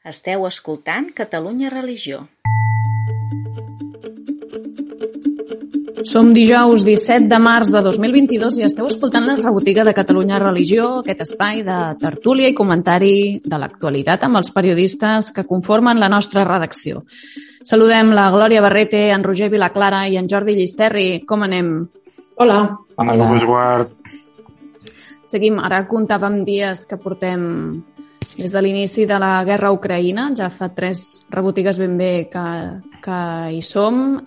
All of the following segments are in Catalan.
Esteu escoltant Catalunya Religió. Som dijous 17 de març de 2022 i esteu escoltant la rebotiga de Catalunya Religió, aquest espai de tertúlia i comentari de l'actualitat amb els periodistes que conformen la nostra redacció. Saludem la Glòria Barrete, en Roger Vilaclara i en Jordi Llisterri. Com anem? Hola. Hola. Seguim. Ara comptàvem dies que portem des de l'inici de la guerra a Ucraïna. Ja fa 3 rebotigues ben bé que hi som.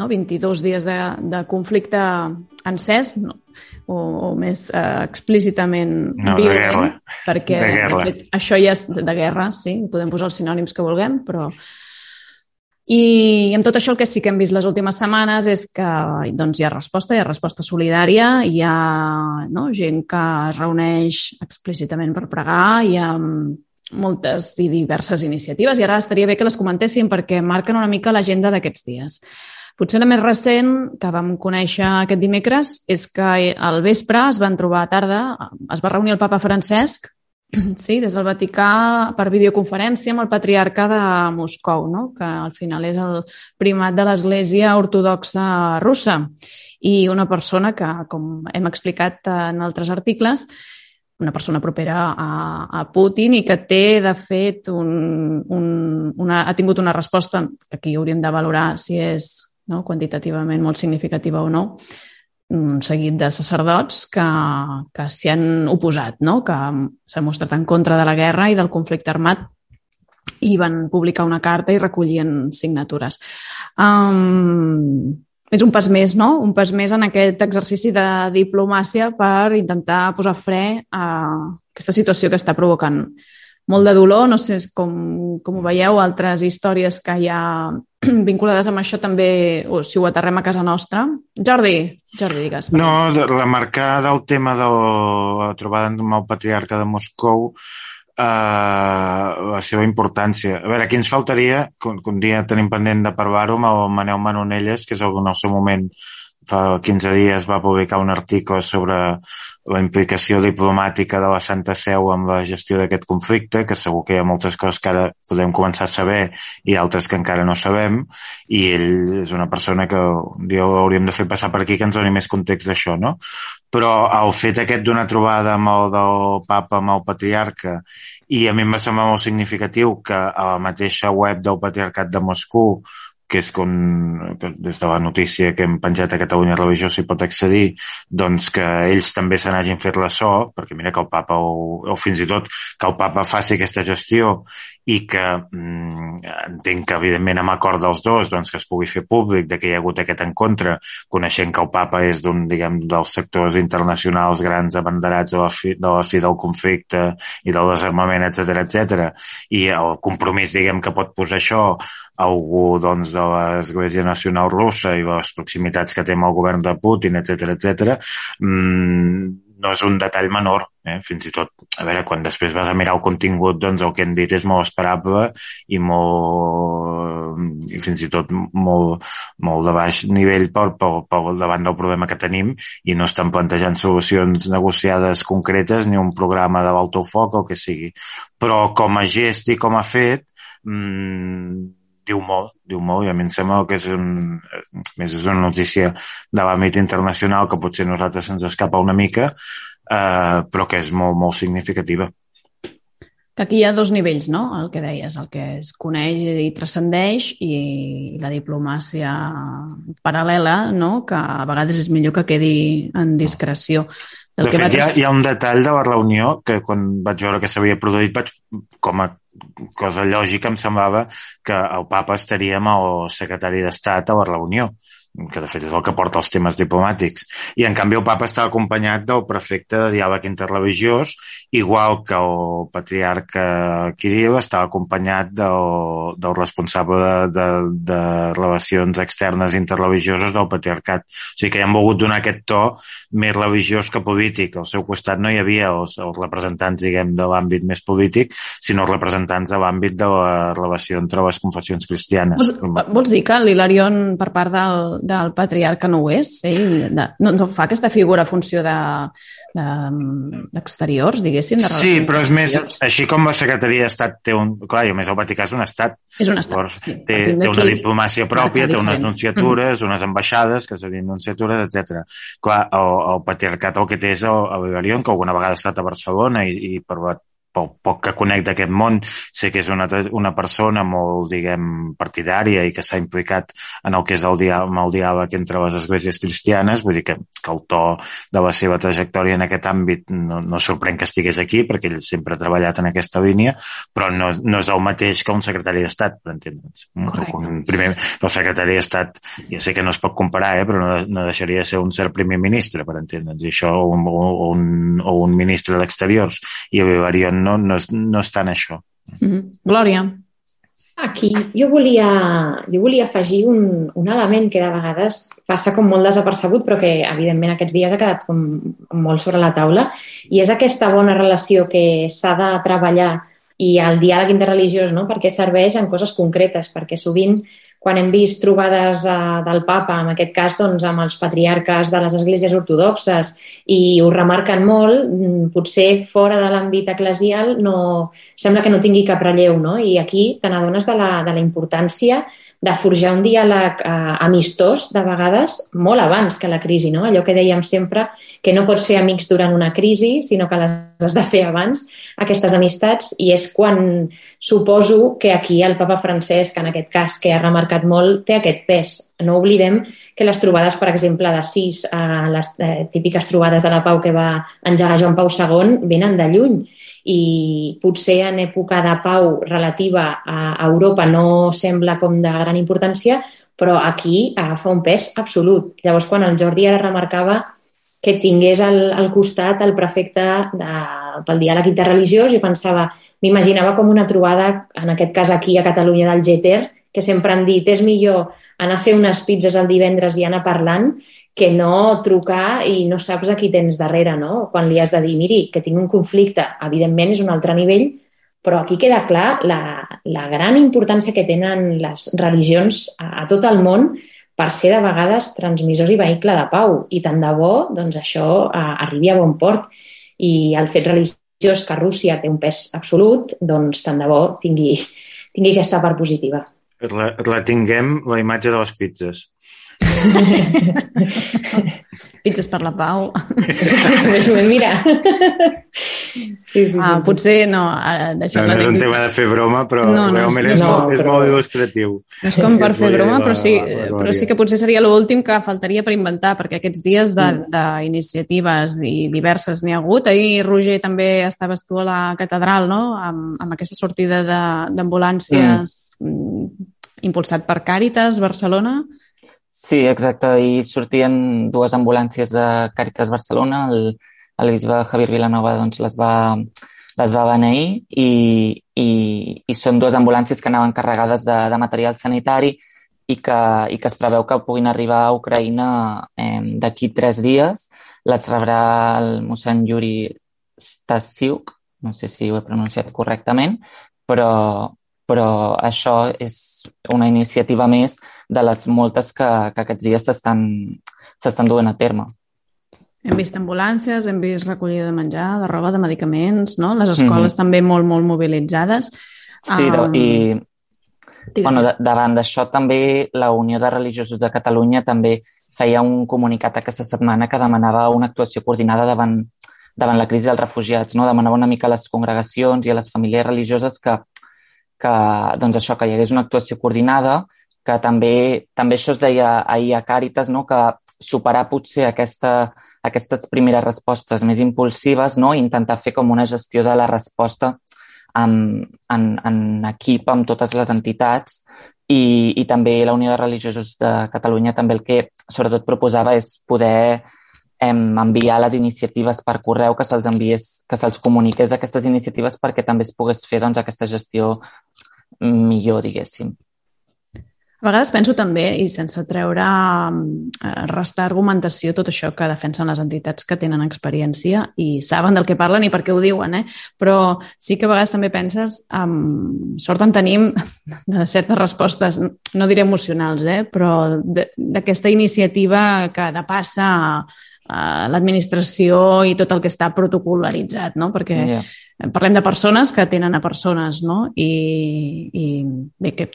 22 dies de conflicte encès, o més explícitament violent. Perquè de guerra. Això ja és de guerra, sí, podem posar els sinònims que vulguem, però... I amb tot això el que sí que hem vist les últimes setmanes és que doncs, hi ha resposta solidària, hi ha gent que es reuneix explícitament per pregar, hi ha moltes i diverses iniciatives i ara estaria bé que les comentéssim perquè marquen una mica l'agenda d'aquests dies. Potser la més recent que vam conèixer aquest dimecres és que al vespre es van trobar a tarda, es va reunir el papa Francesc, sí, des del Vaticà per videoconferència amb el patriarca de Moscou, no? Que al final és el primat de l'Església Ortodoxa Russa i una persona que, com hem explicat en altres articles, una persona propera a Putin i que té, de fet, ha tingut una resposta que aquí hauríem de valorar si és quantitativament molt significativa o no, un seguit de sacerdots que s'hi han oposat, que s'han mostrat en contra de la guerra i del conflicte armat i van publicar una carta i recollien signatures. És un pas més, no? Un pas més en aquest exercici de diplomàcia per intentar posar fre a aquesta situació que està provocant molt de dolor. No sé com ho veieu, altres històries que hi ha vinculades amb això també, o si ho aterrem a casa nostra. Jordi, digues. No, remarcar del tema de la trobada amb el patriarca de Moscou, la seva importància. A veure, aquí ens faltaria, que un dia tenim pendent de parlar-ho amb el Manel Manonelles, que és el que en el seu moment, fa 15 dies, va publicar un article sobre la implicació diplomàtica de la Santa Seu amb la gestió d'aquest conflicte, que segur que hi ha moltes coses que ara podem començar a saber i altres que encara no sabem, i ell és una persona que un dia hauríem de fer passar per aquí que ens doni més context d'això, no? Però el fet aquest d'una trobada amb el del papa, amb el patriarca, i a mi em va semblar molt significatiu que a la mateixa web del Patriarcat de Moscou, que és que des de la notícia que hem penjat a Catalunya Religió s'hi pot accedir, doncs que ells també se n'hagin fet ressò, perquè mira que el papa, o fins i tot que el papa faci aquesta gestió i que entenc que evidentment amb acord dels dos doncs que es pugui fer públic de que hi ha hagut aquest encontre, coneixent que el papa és dels sectors internacionals grans abanderats de la fi del conflicte i del desarmament, etc, i el compromís que pot posar això algú de l'Església Nacional Russa i les proximitats que té amb el govern de Putin, etc, no és un detall menor, fins i tot, a veure, quan després vas a mirar el contingut, doncs el que hem dit és molt esperable i fins i tot molt de baix nivell davant del problema que tenim i no estan plantejant solucions negociades concretes ni un programa de l'alto foc o el que sigui. Però com a gest i com a fet, diu molt, i a mi em sembla que és una notícia de l'àmbit internacional que potser a nosaltres se'ns escapa una mica, però que és molt, molt significativa. Que aquí hi ha 2 nivells, no? El que deies, el que es coneix i transcendeix i la diplomàcia paral·lela, no? Que a vegades és millor que quedi en discreció. De fet, hi ha un detall de la reunió que quan vaig veure que s'havia produït, com a cosa lògica, em semblava que el papa estaria amb el secretari d'Estat a la reunió, que de fet és el que porta els temes diplomàtics. I en canvi el papa estava acompanyat del prefecte de diàleg interreligiós, igual que el patriarca Kirill estava acompanyat del responsable de relacions externes interreligioses del patriarcat. O sigui que hi han volgut donar aquest to més religiós que polític. Al seu costat no hi havia els representants, de l'àmbit més polític, sinó els representants de l'àmbit de la relació entre les confessions cristianes. Vols dir que l'Hilarion, per part del patriarca no ho és. Ell no fa aquesta figura a funció d'exteriors, diguéssim, de relacions. Sí, però és més, així com la secretaria d'Estat té un... Clar, i a més el Vaticà és un estat. És un estat, Llavors, sí. Té una diplomàcia pròpia, té unes nunciatures, unes ambaixades, que serien nunciatures, etc. Clar, el patriarcat el que té és el Vivarion, que alguna vegada ha estat a Barcelona i per pel poc que conec d'aquest món, sé que és una persona molt, diguem, partidària i que s'ha implicat en el que és el diàleg entre les esglésies cristianes, vull dir que el to de la seva trajectòria en aquest àmbit no sorprèn que estigués aquí, perquè ell sempre ha treballat en aquesta línia, però no és el mateix que un secretari d'Estat, per entendre'ns. El secretari d'Estat, ja sé que no es pot comparar, però no deixaria de ser un cert primer ministre, per entendre'ns, i això, o un ministre d'Exteriors, i el Vivarion no és tant això. Glòria. Aquí jo volia afegir un element que de vegades passa com molt desapercebut, però que evidentment aquests dies ha quedat com molt sobre la taula, i és aquesta bona relació que s'ha de treballar i el diàleg interreligiós, no? Perquè serveix en coses concretes, perquè sovint quan hem vist trobades del papa, en aquest cas doncs, amb els patriarques de les esglésies ortodoxes, i ho remarquen molt, potser fora de l'àmbit eclesial sembla que no tingui cap relleu, no? I aquí te n'adones de la importància de forjar un diàleg amistós, de vegades, molt abans que la crisi, no? Allò que dèiem sempre, que no pots fer amics durant una crisi, sinó que les has de fer abans, aquestes amistats, i és quan suposo que aquí el papa Francesc, en aquest cas, que ha remarcat molt, té aquest pes. No oblidem que les trobades, per exemple, d'Assís, les típiques trobades de la pau que va engegar Joan Pau II, venen de lluny, i potser en època de pau relativa a Europa no sembla com de gran importància, però aquí agafa un pes absolut. Llavors, quan el Jordi ara remarcava que tingués al costat el prefecte pel diàleg interreligiós, jo m'imaginava com una trobada, en aquest cas aquí a Catalunya, del Geter, que sempre han dit és millor anar a fer unes pizzas el divendres i anar parlant que no trucar i no saps a qui tens darrere, no? Quan li has de dir, miri, que tinc un conflicte, evidentment és un altre nivell, però aquí queda clar la gran importància que tenen les religions a tot el món per ser de vegades transmissors i vehicle de pau, i tant de bo doncs, això arribi a bon port, i el fet religiós que Rússia té un pes absolut, doncs tant de bo tingui aquesta part positiva. Retinguem la imatge de les pizzas. Pizzas per la pau. Mira. Sí. Potser no. No és un tema de fer broma, però realment és molt il·lustratiu. No és com per fer broma, però sí que potser seria l'últim que faltaria per inventar, perquè aquests dies d'iniciatives diverses n'hi ha hagut. Ahir, Roger, també estaves tu a la catedral, no?, amb aquesta sortida d'ambulàncies impulsat per Càritas Barcelona. Sí, exacte. Ahir sortien dues ambulàncies de Càritas Barcelona. El bisbe Javier Vilanova doncs, les va beneir i són dues ambulàncies que anaven carregades de material sanitari i que es preveu que puguin arribar a Ucraïna d'aquí 3 dies. Les rebrà el mossèn Yuri Stasiuk, no sé si ho he pronunciat correctament, però això és una iniciativa més de les moltes que aquests dies s'estan duent a terme. Hem vist ambulàncies, hem vist recollida de menjar, de roba, de medicaments, no? Les escoles també molt, molt mobilitzades. Sí, davant d'això també la Unió de Religiosos de Catalunya també feia un comunicat aquesta setmana que demanava una actuació coordinada davant la crisi dels refugiats, no? Demanava una mica a les congregacions i a les famílies religioses que doncs això, que hi hagués una actuació coordinada, que també això es deia ahir a Càritas, no?, que superar potser aquestes primeres respostes més impulsives, no?, i intentar fer com una gestió de la resposta en equip amb totes les entitats, i també la Unió de Religiosos de Catalunya també el que sobretot proposava és poder enviar les iniciatives per correu, que se'ls comuniqués aquestes iniciatives perquè també es pogués fer doncs, aquesta gestió millor, diguéssim. A vegades penso també, i sense treure, restar argumentació, tot això que defensen les entitats que tenen experiència i saben del que parlen i per què ho diuen, però sí que a vegades també penses, sort en tenim de certes respostes, no diré emocionals, però d'aquesta iniciativa que depassa l'administració i tot el que està protocolaritzat, no? Perquè parlem de persones que atenen a persones, no? I bé, que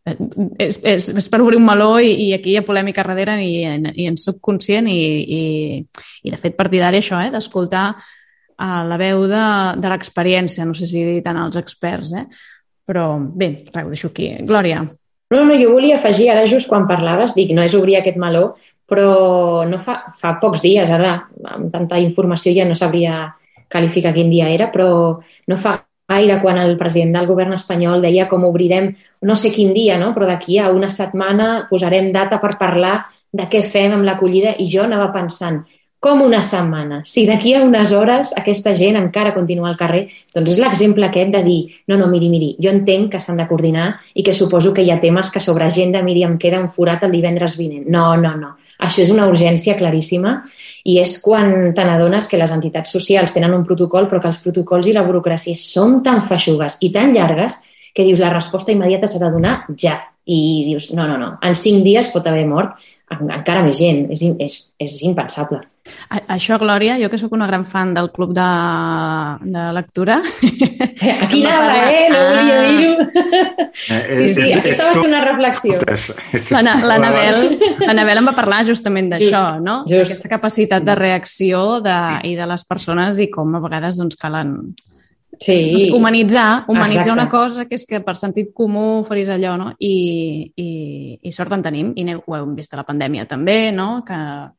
és per obrir un meló i aquí hi ha polèmica darrere i en soc conscient i de fet partidari això, d'escoltar la veu de l'experiència, no sé si dir tant als experts, però bé, res, ho deixo aquí. Glòria. No, jo volia afegir, ara just quan parlaves, dic, no és obrir aquest meló, però no fa pocs dies, ara amb tanta informació ja no sabria qualificar quin dia era, però no fa gaire quan el president del govern espanyol deia com obrirem, no sé quin dia, no? Però d'aquí a una setmana posarem data per parlar de què fem amb l'acollida i jo anava pensant, com una setmana? Si d'aquí a unes hores aquesta gent encara continua al carrer, doncs és l'exemple aquest de dir, no, miri, jo entenc que s'han de coordinar i que suposo que hi ha temes que sobre agenda, miri, em queda un forat el divendres vinent. No. Això és una urgència claríssima i és quan te n'adones que les entitats socials tenen un protocol però que els protocols i la burocràcia són tan feixugues i tan llargues que dius la resposta immediata s'ha de donar ja. I dius, no, en 5 dies pot haver mort encara més gent. És impensable. Això, Glòria, jo que sóc una gran fan del club de lectura... Aquí anava, no volia dir-ho. Sí, aquesta va ser una reflexió. L'Anabel em va parlar justament d'això, no? Aquesta capacitat de reacció i de les persones i com a vegades calen... Sí. Humanitzar una cosa que és que per sentit comú faris allò, no? I sort en tenim, i ho hem vist a la pandèmia també, no? Que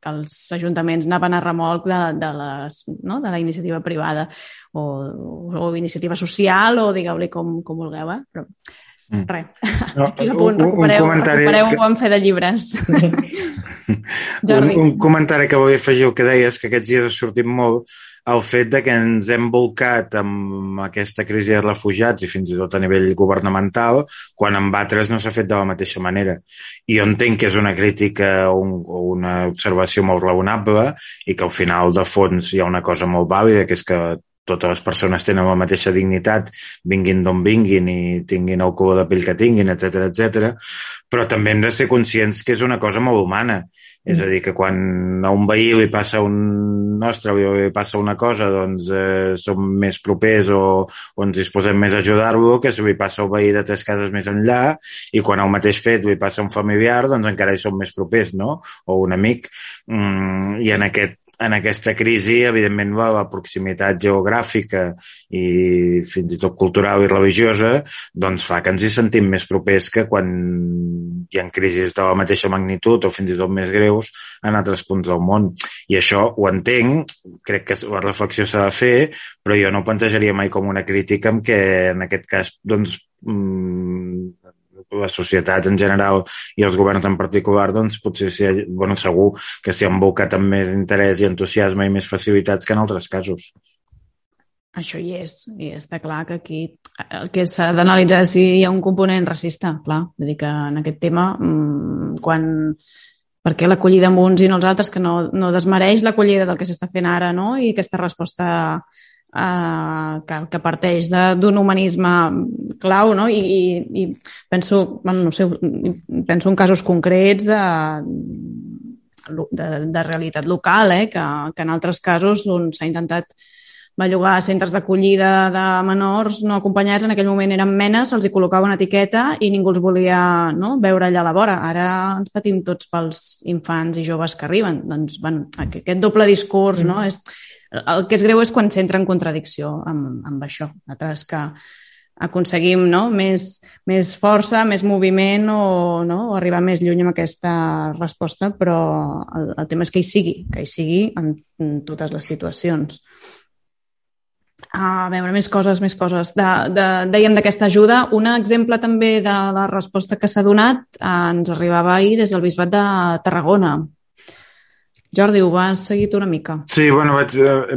els ajuntaments anaven a remolc de la iniciativa privada o iniciativa social o digueu-li com vulgueu, però res, aquí l'apunt, recupereu un bon fe de llibres. Un comentari que volia afegir el que deies, que aquests dies ha sortit molt el fet de que ens hem volcat amb aquesta crisi de refugiats i fins i tot a nivell governamental quan amb altres no s'ha fet de la mateixa manera. I jo entenc que és una crítica o una observació molt raonable i que al final de fons hi ha una cosa molt vàlida, que és que totes les persones tenen la mateixa dignitat, vinguin d'on vinguin i tinguin el color de pell que tinguin, etc. Però també hem de ser conscients que és una cosa molt humana. És a dir, que quan a un veí li passa li passa una cosa, doncs som més propers o ens disposem més a ajudar-lo que si li passa al veí de 3 cases més enllà i quan el mateix fet li passa a un familiar, doncs encara hi som més propers, no? O un amic. I en aquesta crisi, evidentment, la proximitat geogràfica i fins i tot cultural i religiosa doncs fa que ens hi sentim més propers que quan hi ha crisis de la mateixa magnitud o fins i tot més greus en altres punts del món. I això ho entenc, crec que la reflexió s'ha de fer, però jo no ho plantejaria mai com una crítica en què, en aquest cas, doncs, la societat en general i els governs en particular, doncs potser segur que s'hi han volcat amb més interès i entusiasme i més facilitats que en altres casos. Això hi és, i està clar que aquí el que s'ha d'analitzar és si hi ha un component racista, clar. Vull dir que en aquest tema, per què l'acollida amb uns i no els altres, que no desmereix l'acollida del que s'està fent ara, no? I aquesta resposta que parteix d'un humanisme clau, no? I penso, no sé, penso en casos concrets de realitat local, que en altres casos on s'ha intentat bellugar centres d'acollida de menors no acompanyats, en aquell moment eren menes, se'ls hi col·locava una etiqueta i ningú els volia veure allà a la vora. Ara ens patim tots pels infants i joves que arriben. Doncs, aquest doble discurs, no? El que és greu és quan s'entra en contradicció amb això. Nosaltres que aconseguim més força, més moviment o arribar més lluny amb aquesta resposta, però el tema és que hi sigui en totes les situacions. A veure, més coses. Dèiem d'aquesta ajuda. Un exemple també de la resposta que s'ha donat ens arribava ahir des del Bisbat de Tarragona, Jordi, ho vas seguir tu una mica? Sí, bueno,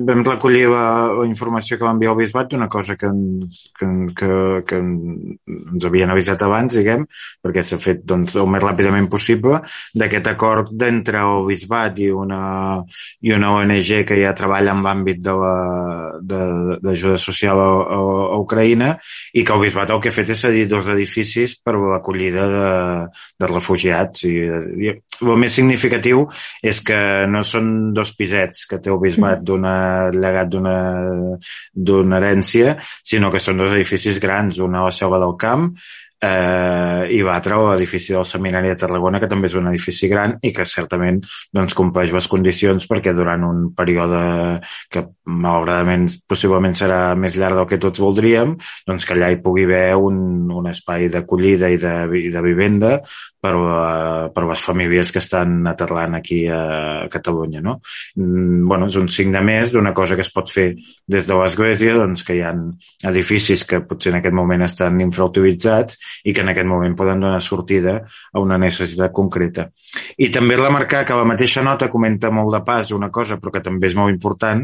vam recollir la informació que va enviar el Bisbat d'una cosa que ens havien avisat abans, diguem, perquè s'ha fet doncs, el més ràpidament possible, d'aquest acord d'entre el Bisbat i una ONG que ja treballa en l'àmbit d'ajuda social a Ucraïna, i que el Bisbat el que ha fet és cedir 2 edificis per l'acollida de refugiats. I el més significatiu és que no són 2 pisets que té el Bisbat llegat d'una herència, sinó que són 2 edificis grans, una a la Selva del Camp i l'altre a l'edifici del Seminari de Tarragona, que també és un edifici gran i que certament doncs, compleix les condicions perquè durant un període que malauradament possiblement serà més llarg del que tots voldríem, doncs que allà hi pugui haver un espai d'acollida i de vivenda per les famílies que estan aterrant aquí a Catalunya. No? Bueno, és un signe més d'una cosa que es pot fer des de l'Església, doncs que hi ha edificis que potser en aquest moment estan infrautilitzats i que en aquest moment poden donar sortida a una necessitat concreta. I també remarcar que la mateixa nota comenta molt de pas una cosa, però que també és molt important,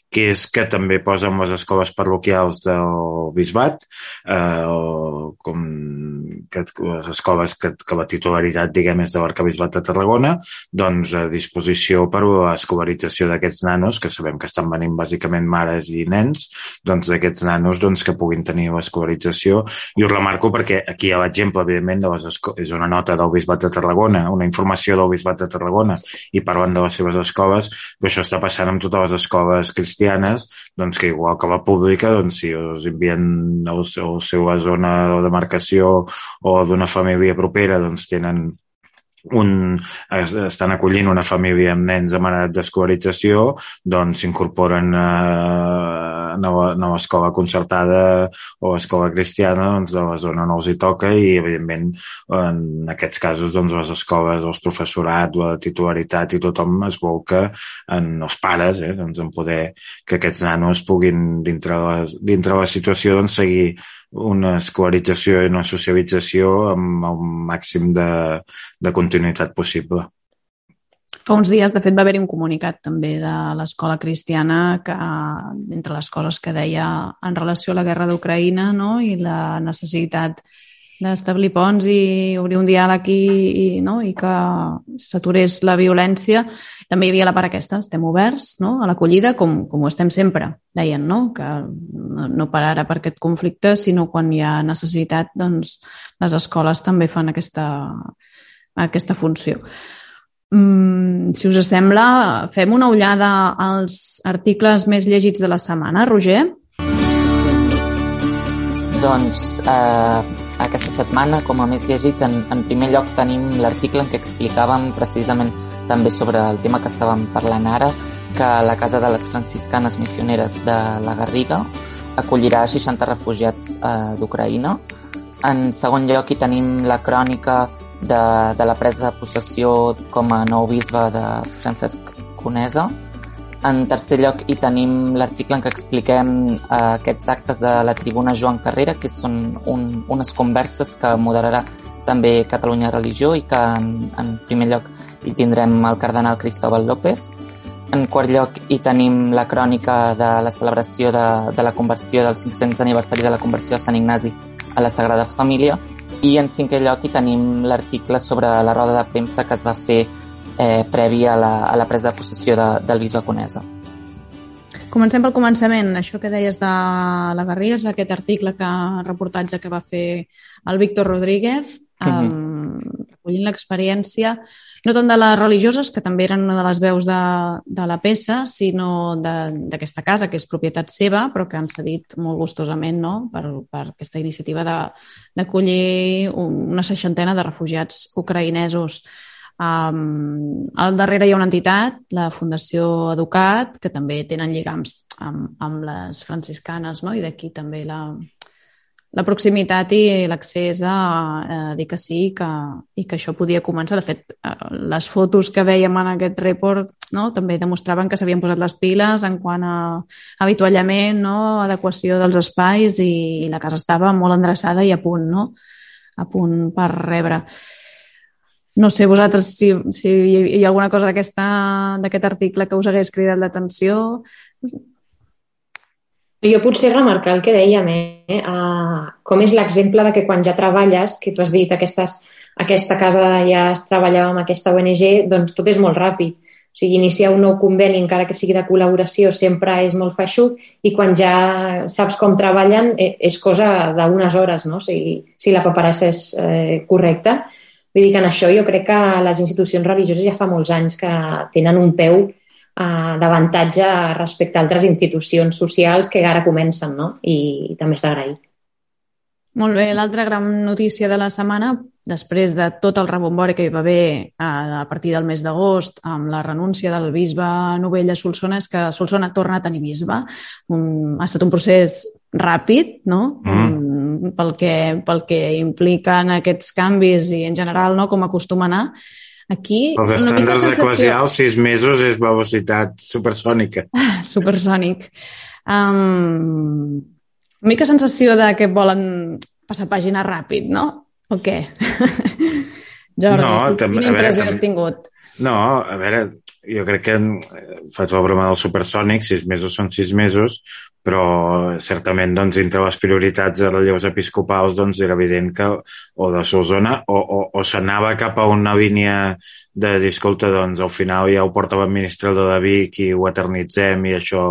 que és que també posen les escoles parroquials del Bisbat, com que les escoles que la titularitat, diguem, és de l'Arquebisbat de Tarragona, doncs a disposició per a l'escolarització d'aquests nanos, que sabem que estan venint bàsicament mares i nens, doncs d'aquests nanos doncs, que puguin tenir l'escolarització. I ho remarco perquè aquí hi ha l'exemple, evidentment, és una nota del Bisbat de Tarragona, una informació del Bisbat de Tarragona, i parlen de les seves escoles, però això està passant amb totes les escoles cristianes, doncs que igual que la pública, doncs si us envien a la seva zona de demarcació o d'una família propera, doncs estan acollint una família amb nens amb edat d'escolarització, doncs s'incorporen a l'escola concertada o escola cristiana doncs, de la zona on els hi toca i, evidentment, en aquests casos doncs, les escoles, els professorats, la titularitat i tothom es volca en els pares, doncs, en poder que aquests nanos puguin, dintre la situació, doncs, seguir una escolarització i una socialització amb el màxim de continuïtat possible. Fa uns dies, de fet, va haver-hi un comunicat també de l'Escola Cristiana que, entre les coses que deia en relació a la guerra d'Ucraïna, no? I la necessitat d'establir ponts i obrir un diàleg i que s'aturés la violència. També hi havia la part aquesta, estem oberts, no? A l'acollida, com ho estem sempre, deien, no? Que no per ara per aquest conflicte, sinó quan hi ha necessitat, doncs les escoles també fan aquesta funció. Si us sembla, fem una ullada als articles més llegits de la setmana. Roger? Doncs aquesta setmana, com a més llegits, en primer lloc tenim l'article en què explicàvem precisament també sobre el tema que estàvem parlant ara, que la Casa de les Franciscanes Missioneres de la Garriga acollirà 60 refugiats d'Ucraïna. En segon lloc hi tenim la crònica de la presa de possessió com a nou bisbe de Francesc Conesa. En tercer lloc hi tenim l'article en què expliquem aquests actes de la tribuna Joan Carrera, que són unes converses que moderarà també Catalunya Religió i que en primer lloc hi tindrem el cardenal Cristóbal López. En quart lloc hi tenim la crònica de la celebració de la conversió del 500 aniversari de la conversió de Sant Ignasi a la Sagrada Família. I en cinquè lloc hi tenim l'article sobre la roda de premsa que es va fer previ a la presa de possessió del bisbe Conesa. Comencem pel començament. Això que deies de la Garriga és aquest reportatge que va fer el Víctor Rodríguez, recollint l'experiència, no tant de les religioses, que també eren una de les veus de la peça, sinó d'aquesta casa, que és propietat seva, però que han cedit molt gustosament, no?, per aquesta iniciativa d'acollir una 60 de refugiats ucraïnesos. Al darrere hi ha una entitat, la Fundació Educat, que també tenen lligams amb les franciscanes, no? I d'aquí també la proximitat i l'accés a dir que sí i que això podia començar. De fet, les fotos que veiem en aquest report, no, també demostraven que s'havien posat les piles en quant a avituallament, no, adequació dels espais, i la casa estava molt endreçada i a punt, no? A punt per rebre. No sé vosaltres si hi ha alguna cosa d'aquest article que us hagués cridat l'atenció. Jo potser remarcar el que dèiem, com és l'exemple de que quan ja treballes, que tu has dit aquesta casa ja es treballava amb aquesta ONG, doncs tot és molt ràpid. O sigui, iniciar un nou conveni, encara que sigui de col·laboració, sempre és molt feixuc i quan ja saps com treballen és cosa d'unes hores, no? Si la paperassa és correcta. Vull dir que en això jo crec que les institucions religioses ja fa molts anys que tenen un peu d'avantatge respecte a altres institucions socials que ara comencen, no? I també és d'agrair. Molt bé, l'altra gran notícia de la setmana, després de tot el rebombori que hi va haver a partir del mes d'agost amb la renúncia del bisbe Novell a Solsona, és que Solsona torna a tenir bisbe. Ha estat un procés ràpid, no? Pel que impliquen aquests canvis i en general, no? Com acostuma a anar. Aquí, els estàndards eclesials, 6 mesos és velocitat supersònica. Supersònic. Una mica sensació de que volen passar pàgina ràpid, no? O què? Jordi, quina impressió has tingut? No, a veure, jo crec que faig la broma del supersònic, 6 mesos són 6 mesos, però certament doncs, entre les prioritats de relleus episcopals doncs, era evident que o de Solsona o s'anava cap a una línia de dir, escolta, doncs al final ja ho porta l'administrador de Vic i ho eternitzem i això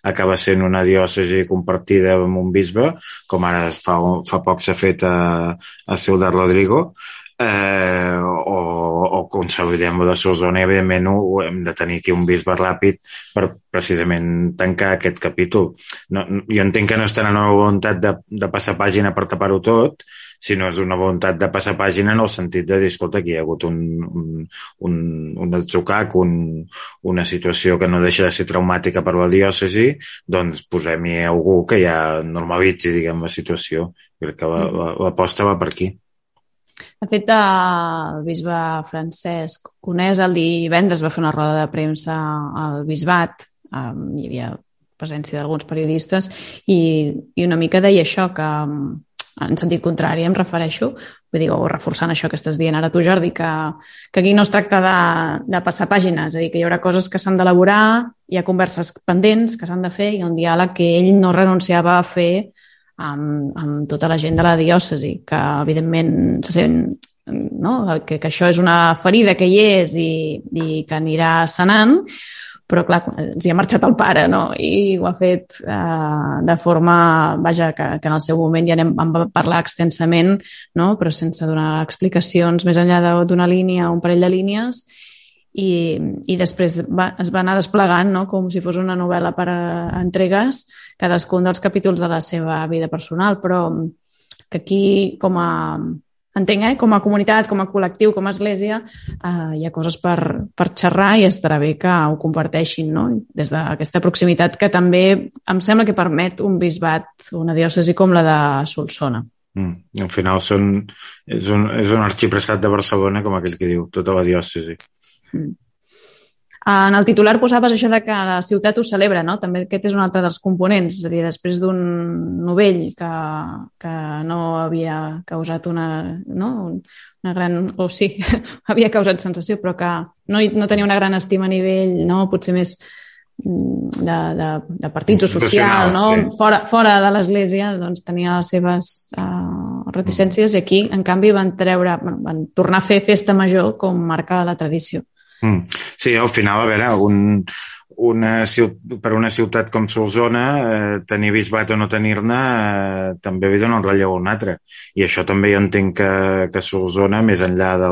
acaba sent una diòcesi compartida amb un bisbe, com ara fa poc s'ha fet a Ciutat Rodrigo, o consolidem de Solsona i evidentment hem de tenir aquí un bisbe ràpid per precisament tancar aquest capítol. Jo entenc que no és tant una voluntat de passar pàgina per tapar-ho tot, sinó és una voluntat de passar pàgina en el sentit de dir, escolta, aquí hi ha hagut un atzucac, una situació que no deixa de ser traumàtica per la diòcesi, doncs posem-hi algú que ja normalitzi, diguem, la situació. Crec que l'aposta va per aquí. De fet, el bisbe Francesc Conés el divendres va fer una roda de premsa al bisbat, hi havia presència d'alguns periodistes i una mica deia això, que en sentit contrari em refereixo, vull dir, o reforçant això que estàs dient ara tu, Jordi, que aquí no es tracta de passar pàgines, és a dir, que hi haurà coses que s'han d'elaborar, hi ha converses pendents que s'han de fer i un diàleg que ell no renunciava a fer amb tota la gent de la diòcesi, que evidentment se sent, no? que això és una ferida que hi és i que anirà sanant, però clar, ens hi ha marxat el pare, no? I ho ha fet de forma, vaja, que en el seu moment ja vam parlar extensament, no? Però sense donar explicacions més enllà d'una línia o un parell de línies, i després es va anar desplegant, no? Com si fos una novel·la per entregues, cadascun dels capítols de la seva vida personal, però que aquí com a comunitat, com a col·lectiu, com a església, hi ha coses per xerrar i estarà bé que ho comparteixin, no? Des d'aquesta proximitat que també em sembla que permet un bisbat, una diòcesi com la de Solsona. Al final és un arxiprestat de Barcelona, com aquell que diu, tota la diòcesi. En el titular posaves això de que la ciutat ho celebra, no? També aquest és un altre dels components, és a dir, després d'un novell que no havia causat una gran, o sí, havia causat sensació, però que no tenia una gran estima a nivell, no? Potser més de partit o social, no? Sí. Fora de l'Església, doncs tenia les seves reticències i aquí, en canvi, van tornar a fer festa major com marca la tradició. Sí, al final, a veure, per una ciutat com Solsona, tenir bisbat o no tenir-ne també li dona un relleu a un altre. I això també jo entenc que Solsona, més enllà de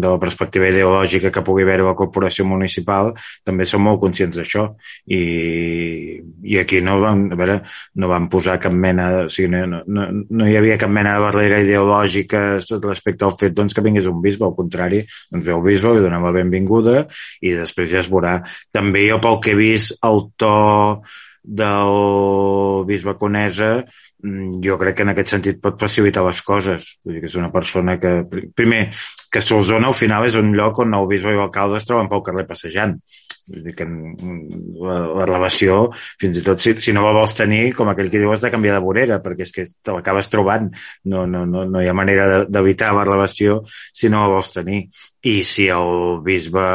la perspectiva ideològica que pugui haver la corporació municipal, també som molt conscients d'això. I aquí no van posar cap mena... O sigui, no hi havia cap mena de barrera ideològica respecte al fet que vingués un bisbe. Al contrari, doncs ve el bisbe, li donem la benvinguda i després ja es veurà. També jo, pel que he vist, el to del bisbe Conesa, jo crec que en aquest sentit pot facilitar les coses. Vull dir que és una persona que... Primer, que Solsona al final és un lloc on el bisbe i l'alcalde es troben pel carrer passejant. Vull dir que la relació, fins i tot si no la vols tenir, com aquell que diu, has de canviar de vorera, perquè és que te l'acabes trobant. No hi ha manera d'evitar la relació si no la vols tenir. I si el bisbe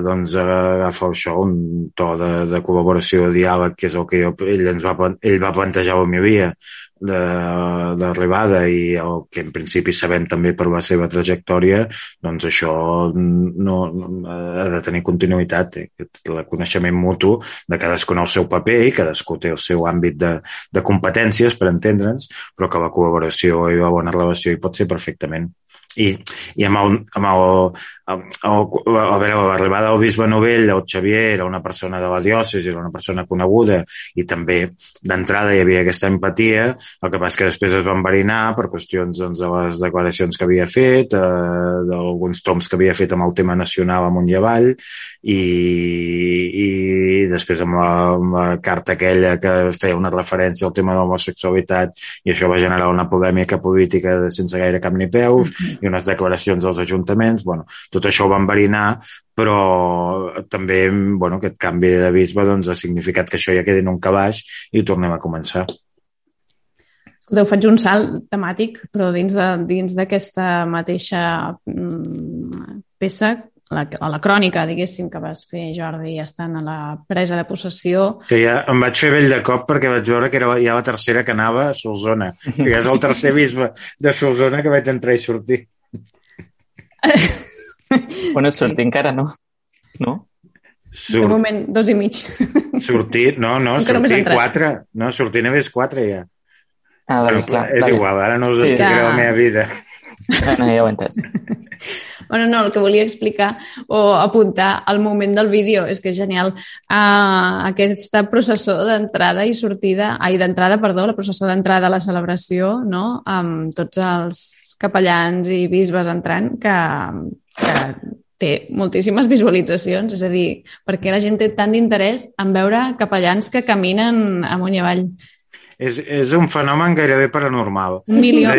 doncs agafa això, un to de col·laboració, de diàleg, que és el que ell va plantejar a l'homilia d'arribada i el que en principi sabem també per la seva trajectòria, doncs això no ha de tenir continuïtat, el coneixement mutu de cadascú en el seu paper i cadascú té el seu àmbit de competències, per entendre'ns, però que la col·laboració i la bona relació hi pot ser perfectament. I amb l'arribada del bisbe Novell, el Xavier era una persona de la diòcesi, era una persona coneguda i també d'entrada hi havia aquesta empatia. El que passa que després es va enverinar per qüestions doncs, de les declaracions que havia fet, d'alguns toms que havia fet amb el tema nacional amunt i avall i després amb la carta aquella que feia una referència al tema de l'homosexualitat i això va generar una polèmica política sense gaire cap ni peus i unes declaracions dels ajuntaments. Bueno, tot això ho va enverinar, però també aquest canvi de bisbe doncs, ha significat que això ja quedi en un calaix i tornem a començar. Escolteu, faig un salt temàtic, però dins d'aquesta mateixa peça, a la crònica, diguéssim, que vas fer, Jordi, estant a la presa de possessió... Que ja em vaig fer vell de cop perquè vaig veure que era ja la tercera que anava a Solsona. Que ja és el tercer bisbe de Solsona que vaig entrar i sortir. Bueno, sortir encara no. No? De moment, 2 i mig. Sortir, sortir 4. No, sortir només 4 ja. Ah, vale, clar. És igual, ara no us explicaré la meva vida. No, ja ho he entès. Bueno, no, el que volia explicar o apuntar al moment del vídeo és que és genial. Aquesta processó d'entrada i sortida, la processó d'entrada a la celebració, no? Amb tots els capellans i bisbes entrant, que té moltíssimes visualitzacions, és a dir, perquè la gent té tant d'interès en veure capellans que caminen amunt i avall. És un fenomen gairebé paranormal. Un milió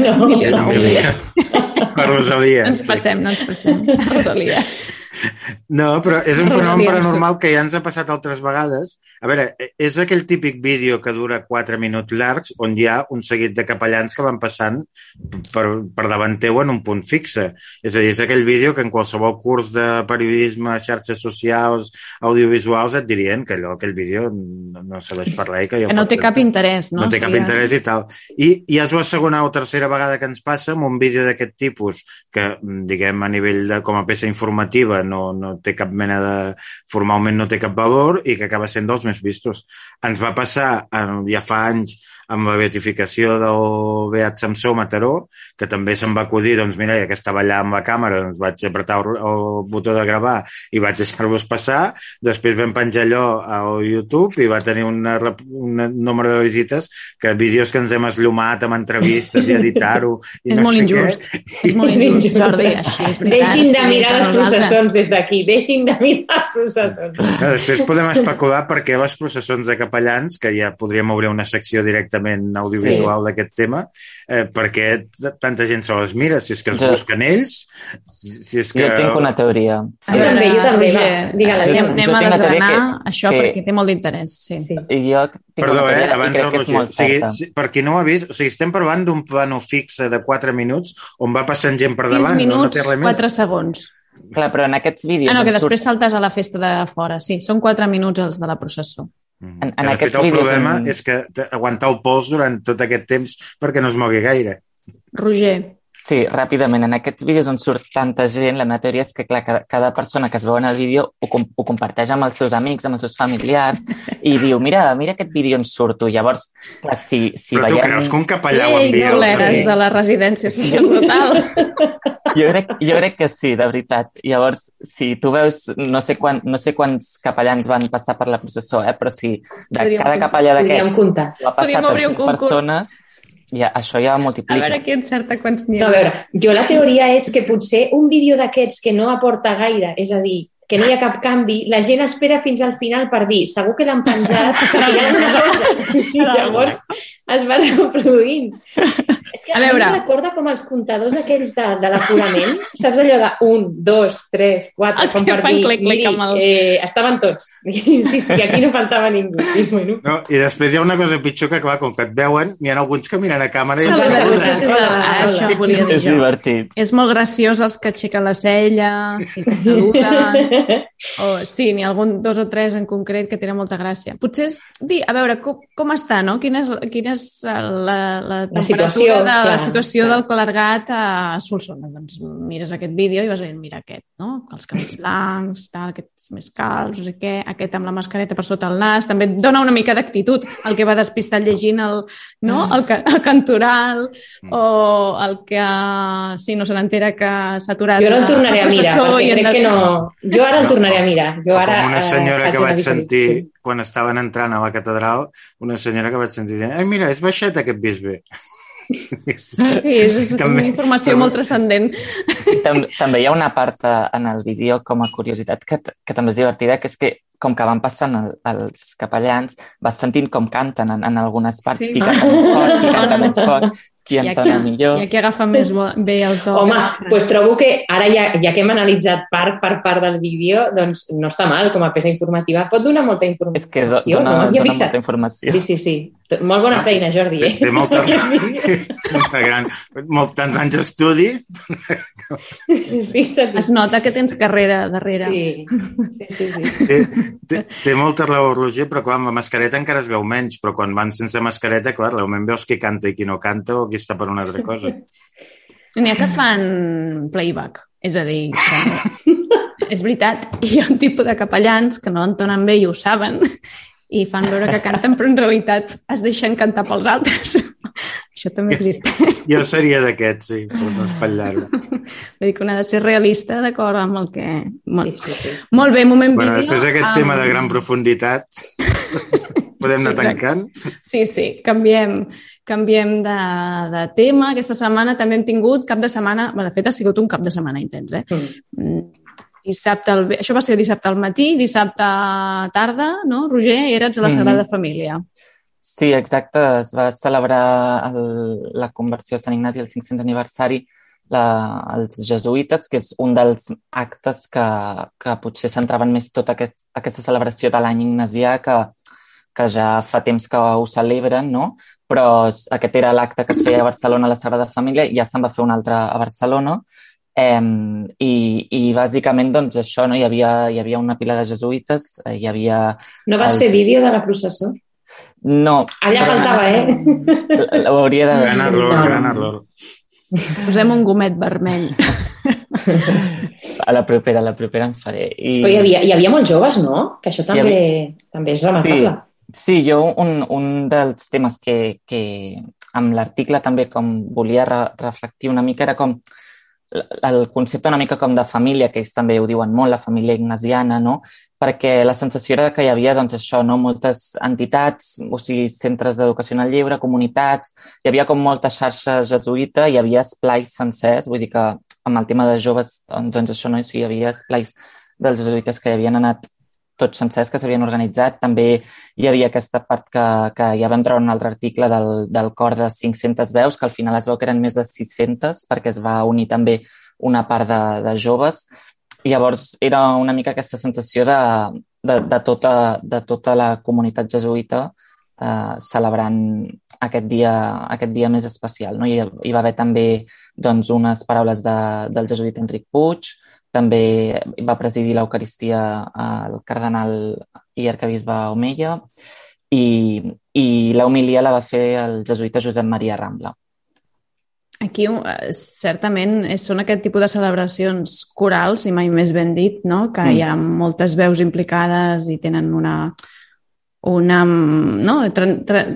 no. Per Rosalia. No ens passem, Rosalia. No, però és un fenomen paranormal que ja ens ha passat altres vegades. A veure, és aquell típic vídeo que dura 4 minuts llargs on hi ha un seguit de capellans que van passant per davant teu en un punt fixe. És a dir, és aquell vídeo que en qualsevol curs de periodisme, xarxes socials, audiovisuals et dirien que aquell vídeo no serveix per res. Que no té cap interès, no? No té cap interès i tal. I ja és la segona o tercera vegada que ens passa amb un vídeo d'aquest tipus que, diguem, a nivell de com a peça informativa no té cap mena de... formalment no té cap valor i que acaba sent dels més vistos. Ens va passar ja fa anys amb la beatificació del Beat Samsó Mataró, que també se'm va acudir, doncs mira, ja que estava allà amb la càmera, doncs vaig apretar el botó de gravar i vaig deixar-los passar. Després vam penjar allò al YouTube i va tenir un nombre de visites que vídeos que ens hem esllomat amb entrevistes i editar-ho. És molt injust. És molt injust, Jordi. Deixin de mirar les processons des d'aquí. Deixin de mirar les processons. Després podem especular per què les processons de capellans, que ja podríem obrir una secció directament audiovisual d'aquest tema, perquè tanta gent se les mira, si és que es busquen ells, si és que... Jo tinc una teoria. Jo també. Anem a desgranar això perquè té molt d'interès. Perdó, abans del Roger. Per qui no ho ha vist, o sigui, estem parlant d'un plano fixe de 4 minuts on va passant gent per davant. 6 minuts, 4 segons. Clar, però en aquests vídeos... que després saltes a la festa de fora, sí. Són 4 minuts els de la processó. En de fet, el problema és que aguantar el pols durant tot aquest temps perquè no es mogui gaire. Roger. Sí, ràpidament. En aquests vídeos on surt tanta gent, la meva teoria és que, clar, cada persona que es veu en el vídeo ho comparteix amb els seus amics, amb els seus familiars, i diu, mira aquest vídeo on surto. Llavors, clar, si però veiem... tu creus que un capellà ho envia? Ei, de la residència social brutal. Jo crec que sí, de veritat. Llavors, si tu veus, no sé quants capellans van passar per la processó, però si de cada capellà d'aquests ha passat a 5 persones, això ja multiplica. A veure qui encerta quants n'hi ha. No, a veure, jo la teoria és que potser un vídeo d'aquests que no aporta gaire, és a dir, que no hi ha cap canvi, la gent espera fins al final per dir, segur que l'han penjat, hi ha una cosa. Sí, llavors es va reproduint. És que a mi em recorda com els comptadors aquells de l'aforament, saps allò de 1, 2, 3, 4, Els com que per fan dir, clic-clic miri, amb el... estaven tots. Sí, aquí no faltava ningú. I, bueno. No, i després hi ha una cosa pitjor que, clar, com que et veuen, n'hi ha alguns que miren a càmera i Això volia dir És jo. divertit. És molt graciós els que aixequen la cella, si et saluden, o sí, n'hi ha algun 2 o 3 en concret que tenen molta gràcia. Potser és dir, a veure, com està, no? Quina és la temperatura la situació del clergat a Solsona. Doncs mires aquest vídeo i vas veient, mira aquest, no? Els cabells blancs, tal, aquests més calbs, no sé què, aquest amb la mascareta per sota el nas, també et dona una mica d'actitud, el que va despistat llegint el cantoral, o el que no se n'entera que s'ha aturat. Jo ara el tornaré a mirar, perquè crec que no... Jo ara el tornaré a mirar. Com una senyora que vaig sentir quan estaven entrant a la catedral, una senyora que vaig sentir dient, ai, mira, és baixet aquest bisbe. Sí, és una informació molt transcendent. També hi ha una part en el vídeo com a curiositat que també és divertida, que és que com que van passant els capellans, vas sentint com canten en algunes parts, qui canta més fort, qui canta menys fort, qui entona millor. Hi ha qui agafa més bé el to. Home, doncs trobo que ara ja que hem analitzat part per part del vídeo, doncs no està mal com a peça informativa. Pot donar molta informació. És que dona molta informació. Sí. Molt bona feina, Jordi. Té molta gran. Tants anys d'estudi. Es nota que tens carrera darrere. Sí. Té molta raó, Roger, però quan amb la mascareta encara es veu menys, però quan van sense mascareta, clar, realment veus qui canta i qui no canta o qui està per una altra cosa. N'hi ha que fan playback, és a dir, que és veritat, hi ha un tipus de capellans que no entonen bé i ho saben, i fan veure que canten, però en realitat es deixen cantar pels altres. Això també existeix. Jo seria d'aquests, sí, per no espatllar-ho. Vull dir que un ha de ser realista d'acord amb el que... Sí. Molt bé, moment vídeo. Després d'aquest tema de gran profunditat, podem anar tancant? Sí, canviem de tema. Aquesta setmana també hem tingut cap de setmana... De fet, ha sigut un cap de setmana intens, Això va ser dissabte al matí, dissabte a tarda, no, Roger? Eres a la Sagrada Família. Sí, exacte. Es va celebrar la conversió a Sant Ignasi, el 500 aniversari, els jesuïtes, que és un dels actes que potser centraven més tota aquesta celebració de l'any ignasià, que ja fa temps que ho celebren, no? Però aquest era l'acte que es feia a Barcelona a la Sagrada Família, ja se'n va fer un altre a Barcelona, i bàsicament doncs això, no? Hi havia una pila de jesuïtes, hi havia... No vas fer vídeo de la processó? No. Allà faltava, Ho hauria de... Gran error. Posem un gomet vermell. A la propera en faré. Però hi havia molts joves, no? Que això també és remarcable. Sí, jo un dels temes que amb l'article també com volia reflectir una mica era com el concepte una mica com de família, que ells també ho diuen molt, la família ignasiana, no? Perquè la sensació era que hi havia, doncs, això, no? Moltes entitats, o sigui, centres d'educació en el lleure, comunitats, hi havia com molta xarxa jesuïta, hi havia esplais sencers, vull dir que amb el tema de joves, doncs això, no? Sí, hi havia esplais dels jesuïtes que hi havien anat tots sencers, que s'havien organitzat. També hi havia aquesta part que ja vam treure un altre article del cor de 500 veus, que al final es veu que eren més de 600, perquè es va unir també una part de joves. I llavors era una mica aquesta sensació de tota la comunitat jesuïta celebrant aquest dia més especial, no? Hi va haver també doncs, unes paraules del jesuïta Enric Puig, també va presidir l'Eucaristia el cardenal i arquebisbe Omeia, i l'homilia la va fer el jesuïta Josep Maria Rambla. Aquí, certament, són aquest tipus de celebracions corals, i mai més ben dit, no? Que hi ha moltes veus implicades i tenen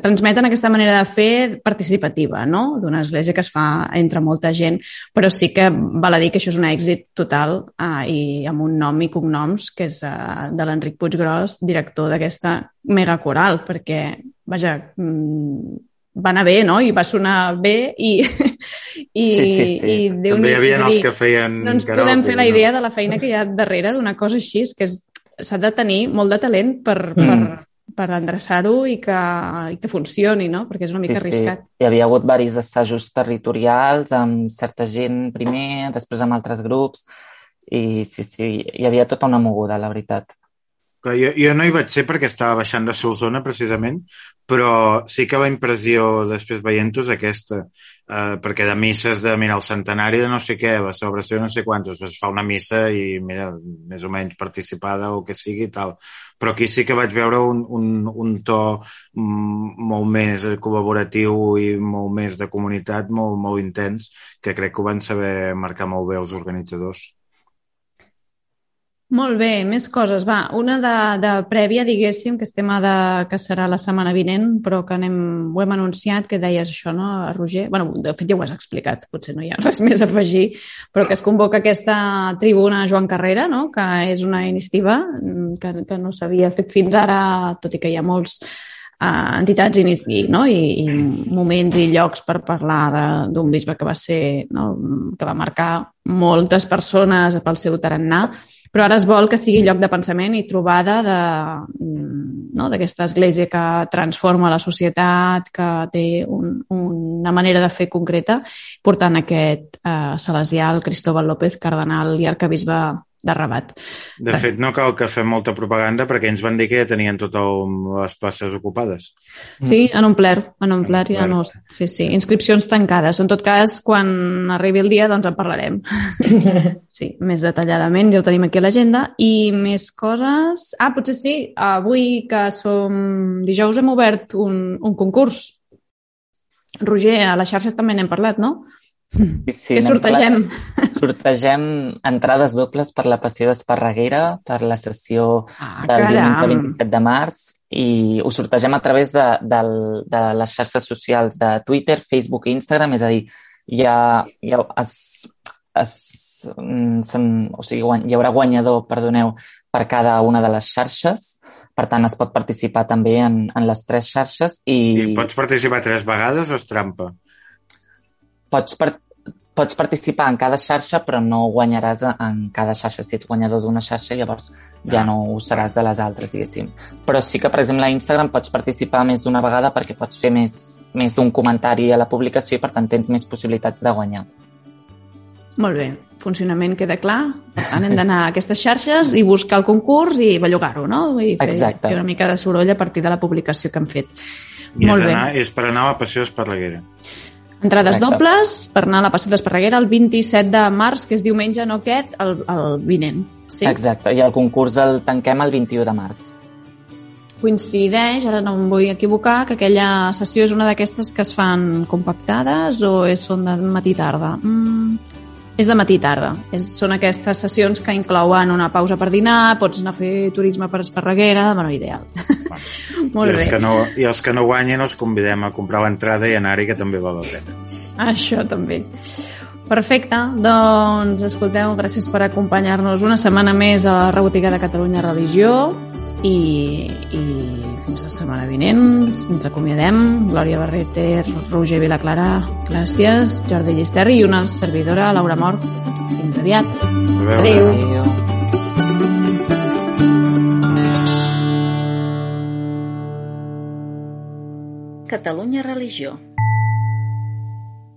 transmeten aquesta manera de fer participativa, no? D'una església que es fa entre molta gent, però sí que val a dir que això és un èxit total i amb un nom i cognoms que és de l'Enric Puiggròs, director d'aquesta megacoral, perquè, vaja, va anar bé, no? I va sonar bé i sí. També hi havia els que feien... No ens podem fer la idea de la feina que hi ha darrere d'una cosa així, que s'ha de tenir molt de talent per per endreçar-ho i que funcioni, no? Perquè és una mica arriscat. Hi havia hagut diversos assajos territorials amb certa gent primer, després amb altres grups, i sí, hi havia tota una moguda, la veritat. Jo no hi vaig ser perquè estava baixant de Solsona, precisament, però sí que la impressió després veient-ho és aquesta, perquè de misses de, mira, el centenari de no sé què, la celebració de no sé quantos, es fa una missa i, mira, més o menys participada o que sigui i tal. Però aquí sí que vaig veure un to molt més col·laboratiu i molt més de comunitat, molt intens, que crec que ho van saber marcar molt bé els organitzadors. Molt bé, més coses. Va, una de prèvia, diguéssim, que és tema que serà la setmana vinent, però que ho hem anunciat, que deies això, no, Roger? Bueno, de fet ja ho has explicat, potser no hi ha res més a afegir, però que es convoca aquesta tribuna Joan Carrera, no?, que és una iniciativa que no s'havia fet fins ara, tot i que hi ha molts entitats i moments i llocs per parlar d'un bisbe que va ser, no, que va marcar moltes persones pel seu tarannà, però ara es vol que sigui lloc de pensament i trobada d'aquesta església que transforma la societat, que té una manera de fer concreta, portant aquest salesià, el Cristóbal López, cardenal i arquebisbe de Rabat. De fet, no cal que fem molta propaganda perquè ens van dir que ja tenien totes les places ocupades. Sí, han omplert ja no... Sí, inscripcions tancades. En tot cas, quan arribi el dia, doncs en parlarem. Sí, més detalladament, ja ho tenim aquí a l'agenda. I més coses... Potser sí, avui que som dijous hem obert un concurs. Roger, a la xarxa també n'hem parlat, no? Sí, que sortegem. Sortegem entrades dobles per la Passió d'Esparreguera, per la sessió del diumenge 27 de març, i ho sortegem a través de les xarxes socials de Twitter, Facebook i Instagram, és a dir, hi haurà guanyador, per cada una de les xarxes. Per tant, es pot participar també en les 3 xarxes. I pots participar 3 vegades o és trampa? Pots participar en cada xarxa, però no guanyaràs en cada xarxa. Si ets guanyador d'una xarxa, llavors ja no ho seràs de les altres, diguéssim. Però sí que, per exemple, a Instagram pots participar més d'una vegada perquè pots fer més d'un comentari a la publicació i, per tant, tens més possibilitats de guanyar. Molt bé, funcionament queda clar. Per tant, hem d'anar a aquestes xarxes i buscar el concurs i bellugar-ho, no? I fer una mica de soroll a partir de la publicació que hem fet. Molt bé. És per anar a la Passió d'Esparreguera. Entrades dobles per anar a la Passió d'Esparreguera el 27 de març, que és diumenge, no aquest, el vinent. Sí? Exacte, i el concurs el tanquem el 21 de març. Coincideix, ara no em vull equivocar, que aquella sessió és una d'aquestes que es fan compactades o són de matí-tarda? És de matí-tarda. Són aquestes sessions que inclouen una pausa per dinar, pots anar a fer turisme per Esparreguera, bueno, ideal. Molt bé. I els que no guanyen els convidem a comprar l'entrada i anar-hi, que també val la pena. Això també. Perfecte, doncs escolteu, gràcies per acompanyar-nos una setmana més a la Rebotiga de Catalunya Religió i fins la setmana vinent ens acomiadem. Glòria Barreter, Roger Vilaclara, gràcies, Jordi Llisterri i una servidora, Laura Mort. Fins aviat. Adéu. Catalunya Religió.